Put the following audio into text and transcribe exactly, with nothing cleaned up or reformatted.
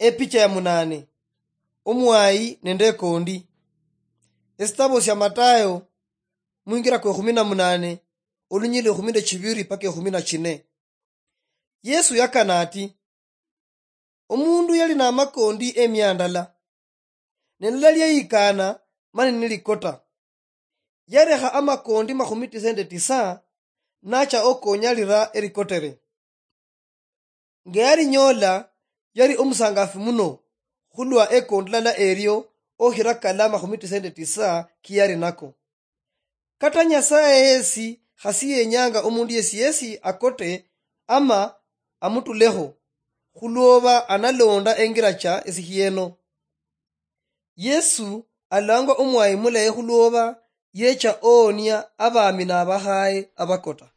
Epicha ya munane. Omwayi nende ekondi. Esitabo sia Matayo, mwingira kwa ekhumi na munane, olunyili ekhumi nende chibiri paka ekhumi na chine. Yesu yakana ati, omundu yali namakondi emia ndala, ne lala lyeyikana mani nilikota. Yarekha amakondi makhumi tisa nende tisa, nacha okonyalira erikotere. Nga yalinyola, yali omusangafu muno khulwa ekondi lala erio okhira kala makhumi tisa nende tisa kiyali nako. Kata Nyasaye yesi khasi yenyanga omundu yesi yesi akote ama amutulekho, khulwoba analonda engira cha esikhieno. Yesu alangwa omwayi mulayi khulwoba yecha oonia abami nabakhaye abakota.